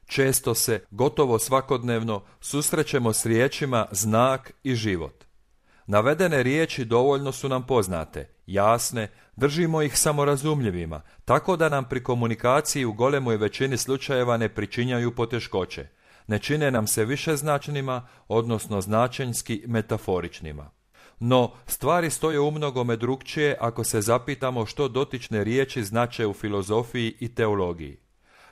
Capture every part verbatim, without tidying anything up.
Često se, gotovo svakodnevno, susrećemo s riječima znak i život. Navedene riječi dovoljno su nam poznate, jasne, držimo ih samorazumljivima, tako da nam pri komunikaciji u golemoj većini slučajeva ne pričinjaju poteškoće. Ne čine nam se višeznačnima, odnosno značenjski metaforičnima. No, stvari stoje umnogome drukčije ako se zapitamo što dotične riječi znače u filozofiji i teologiji.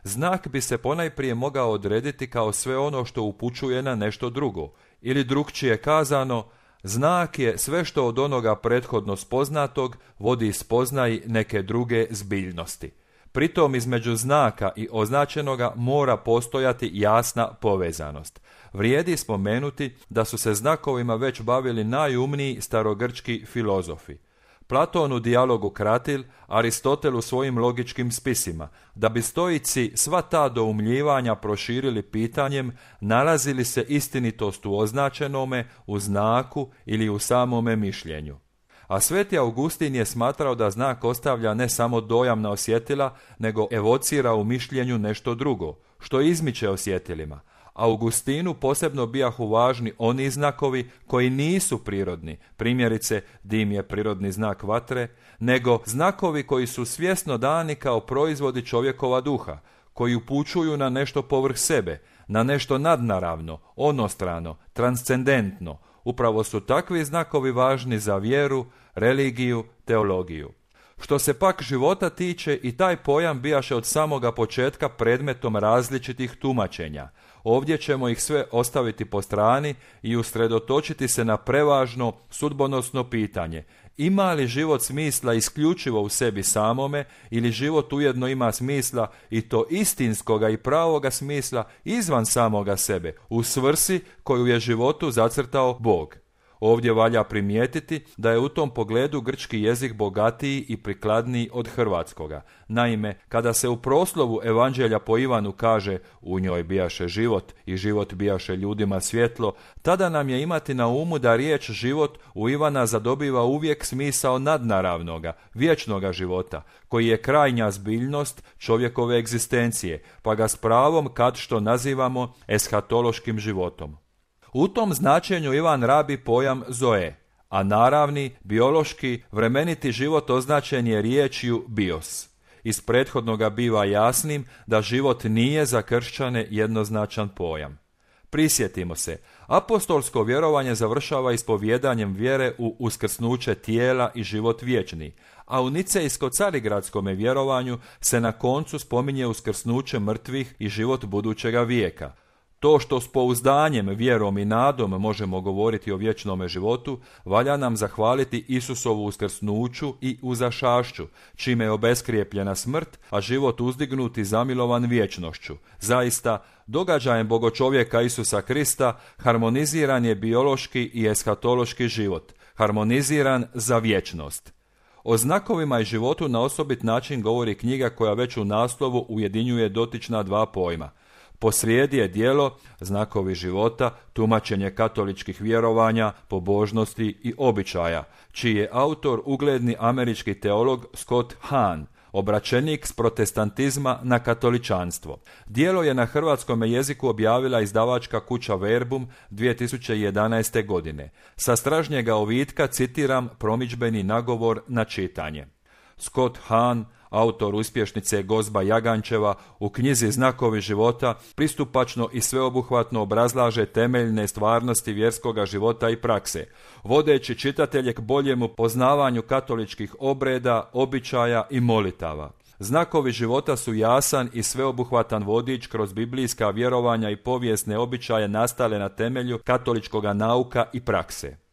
Znak bi se ponajprije mogao odrediti kao sve ono što upućuje na nešto drugo, ili drukčije kazano, znak je sve što od onoga prethodno spoznatog vodi spoznaji neke druge zbiljnosti. Pritom između znaka i označenoga mora postojati jasna povezanost. Vrijedi spomenuti da su se znakovima već bavili najumniji starogrčki filozofi. Platon u dijalogu Kratil, Aristotel u svojim logičkim spisima, da bi stoici sva ta doumljivanja proširili pitanjem nalazi li se istinitost u označenome, u znaku ili u samome mišljenju. A sveti Augustin je smatrao da znak ostavlja ne samo dojam na osjetila, nego evocira u mišljenju nešto drugo, što izmiče osjetilima. Augustinu posebno bijahu važni oni znakovi koji nisu prirodni, primjerice dim je prirodni znak vatre, nego znakovi koji su svjesno dani kao proizvodi čovjekova duha, koji upućuju na nešto povrh sebe, na nešto nadnaravno, onostrano, transcendentno. Upravo su takvi znakovi važni za vjeru, religiju, teologiju. Što se pak života tiče, i taj pojam bijaše od samoga početka predmetom različitih tumačenja. Ovdje ćemo ih sve ostaviti po strani i usredotočiti se na prevažno sudbonosno pitanje. Ima li život smisla isključivo u sebi samome ili život ujedno ima smisla i to istinskoga i pravoga smisla izvan samoga sebe, u svrsi koju je životu zacrtao Bog? Ovdje valja primijetiti da je u tom pogledu grčki jezik bogatiji i prikladniji od hrvatskoga. Naime, kada se u proslovu Evanđelja po Ivanu kaže u njoj bijaše život i život bijaše ljudima svjetlo, tada nam je imati na umu da riječ život u Ivana zadobiva uvijek smisao nadnaravnoga, vječnoga života, koji je krajnja zbiljnost čovjekove egzistencije, pa ga s pravom kad što nazivamo eshatološkim životom. U tom značenju Ivan rabi pojam zoe, a naravni, biološki, vremeniti život označen je riječju bios. Iz prethodnoga biva jasnim da život nije za kršćane jednoznačan pojam. Prisjetimo se, apostolsko vjerovanje završava ispovjedanjem vjere u uskrsnuće tijela i život vječni, a u nicejsko-carigradskome vjerovanju se na koncu spominje uskrsnuće mrtvih i život budućega vijeka. To što s pouzdanjem, vjerom i nadom možemo govoriti o vječnome životu, valja nam zahvaliti Isusovu uskrsnuću i uzašašću, čime je obeskrijepljena smrt, a život uzdignut i zamilovan vječnošću. Zaista, događajem bogočovjeka Isusa Krista harmoniziran je biološki i eshatološki život, harmoniziran za vječnost. O znakovima i životu na osobit način govori knjiga koja već u naslovu ujedinjuje dotična dva pojma. Posrijedi je djelo Znakovi života, tumačenje katoličkih vjerovanja, pobožnosti i običaja, čiji je autor ugledni američki teolog Scott Hahn, obraćenik s protestantizma na katoličanstvo. Djelo je na hrvatskome jeziku objavila izdavačka kuća Verbum dvije tisuće jedanaeste. godine. Sa stražnjega ovitka citiram promidžbeni nagovor na čitanje. Scott Hahn, autor uspješnice Gozba Jagančeva, u knjizi Znakovi života pristupačno i sveobuhvatno obrazlaže temeljne stvarnosti vjerskoga života i prakse, vodeći čitatelje k boljemu poznavanju katoličkih obreda, običaja i molitava. Znakovi života su jasan i sveobuhvatan vodič kroz biblijska vjerovanja i povijesne običaje nastale na temelju katoličkoga nauka i prakse.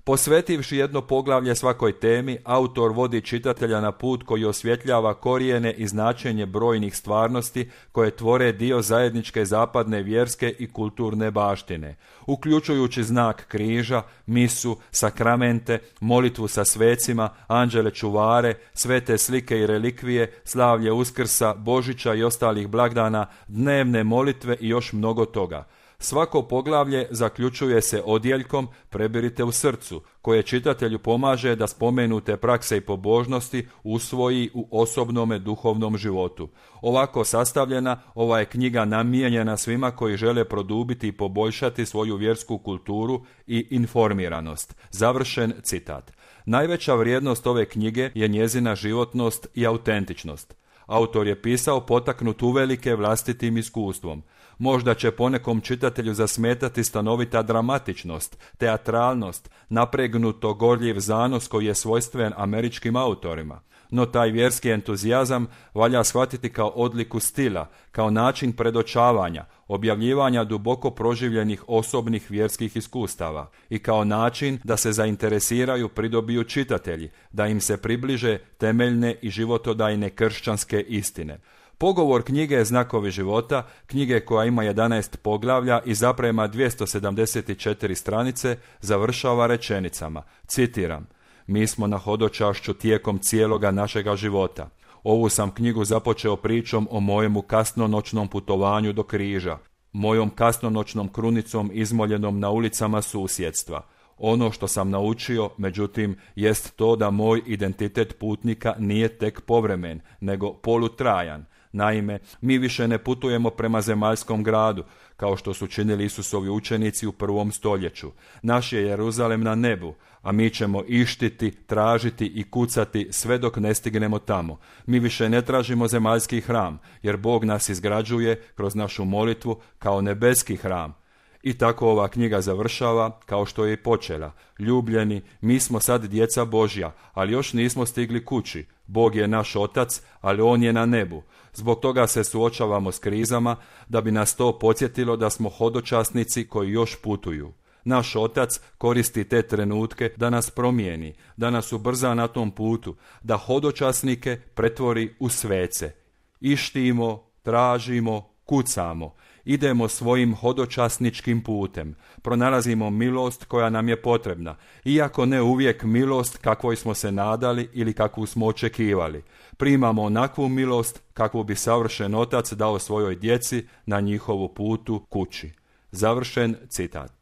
Posvetivši jedno poglavlje svakoj temi, autor vodi čitatelja na put koji osvjetljava korijene i značenje brojnih stvarnosti koje tvore dio zajedničke zapadne vjerske i kulturne baštine, uključujući znak križa, misu, sakramente, molitvu sa svecima, anđele čuvare, svete slike i relikvije, slavlje Uskrsa, Božića i ostalih blagdana, dnevne molitve i još mnogo toga. Svako poglavlje zaključuje se odjeljkom "Prebirite u srcu", koje čitatelju pomaže da spomenute prakse i pobožnosti usvoji u osobnome duhovnom životu. Ovako sastavljena, ova je knjiga namijenjena svima koji žele produbiti i poboljšati svoju vjersku kulturu i informiranost. Završen citat. Najveća vrijednost ove knjige je njezina životnost i autentičnost. Autor je pisao potaknut uvelike vlastitim iskustvom. Možda će ponekom čitatelju zasmetati stanovita dramatičnost, teatralnost, napregnuto gorljiv zanos koji je svojstven američkim autorima. No taj vjerski entuzijazam valja shvatiti kao odliku stila, kao način predočavanja, objavljivanja duboko proživljenih osobnih vjerskih iskustava i kao način da se zainteresiraju, pridobiju čitatelji, da im se približe temeljne i životodajne kršćanske istine. Pogovor knjige Znakovi života, knjige koja ima jedanaest poglavlja i zaprema dvjesto sedamdeset četiri stranice, završava rečenicama, citiram: "Mi smo na hodočašću tijekom cijeloga našega života. Ovu sam knjigu započeo pričom o mojemu kasnonoćnom putovanju do križa, mojom kasnonoćnom krunicom izmoljenom na ulicama susjedstva. Ono što sam naučio, međutim, jest to da moj identitet putnika nije tek povremen, nego polutrajan. Naime, mi više ne putujemo prema zemaljskom gradu, kao što su činili Isusovi učenici u prvom stoljeću. Naš je Jeruzalem na nebu, a mi ćemo ištiti, tražiti i kucati sve dok ne stignemo tamo. Mi više ne tražimo zemaljski hram, jer Bog nas izgrađuje kroz našu molitvu kao nebeski hram." I tako ova knjiga završava kao što je i počela. Ljubljeni, mi smo sad djeca Božja, ali još nismo stigli kući. Bog je naš otac, ali on je na nebu. Zbog toga se suočavamo s krizama, da bi nas to podsjetilo da smo hodočasnici koji još putuju. Naš otac koristi te trenutke da nas promijeni, da nas ubrza na tom putu, da hodočasnike pretvori u svece. Ištimo, tražimo, kucamo. Idemo svojim hodočasničkim putem, pronalazimo milost koja nam je potrebna, iako ne uvijek milost kakvoj smo se nadali ili kakvu smo očekivali. Primamo onakvu milost kakvu bi savršen otac dao svojoj djeci na njihovu putu kući. Završen citat.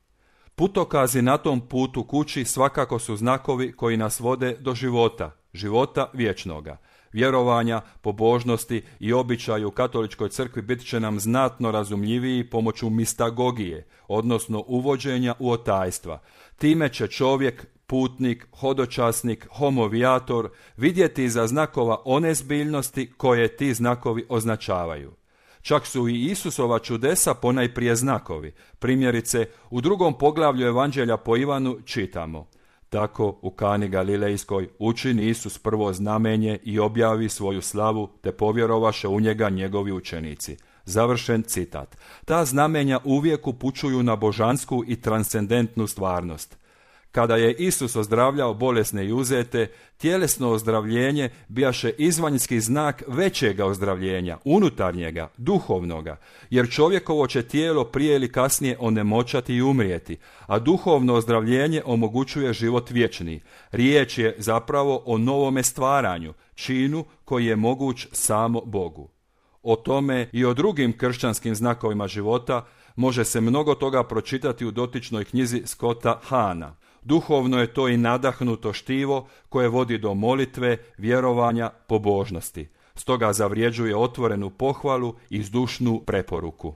Putokazi na tom putu kući svakako su znakovi koji nas vode do života, života vječnoga. Vjerovanja, pobožnosti i običaji u katoličkoj crkvi bit će nam znatno razumljiviji pomoću mistagogije, odnosno uvođenja u otajstva. Time će čovjek, putnik, hodočasnik, homovijator vidjeti iza znakova one zbiljnosti koje ti znakovi označavaju. Čak su i Isusova čudesa ponajprije znakovi. Primjerice, u drugom poglavlju Evanđelja po Ivanu čitamo: "Tako u Kani Galilejskoj učini Isus prvo znamenje i objavi svoju slavu, te povjerovaše u njega njegovi učenici." Završen citat. Ta znamenja uvijek upućuju na božansku i transcendentnu stvarnost. Kada je Isus ozdravljao bolesne i uzete, tjelesno ozdravljenje bijaše izvanjski znak većega ozdravljenja, unutarnjega, duhovnoga, jer čovjekovo će tijelo prije ili kasnije onemoćati i umrijeti, a duhovno ozdravljenje omogućuje život vječni. Riječ je zapravo o novome stvaranju, činu koji je moguć samo Bogu. O tome i o drugim kršćanskim znakovima života može se mnogo toga pročitati u dotičnoj knjizi Scotta Hana. Duhovno je to i nadahnuto štivo koje vodi do molitve, vjerovanja, pobožnosti. Stoga zavređuje otvorenu pohvalu i zdušnu preporuku.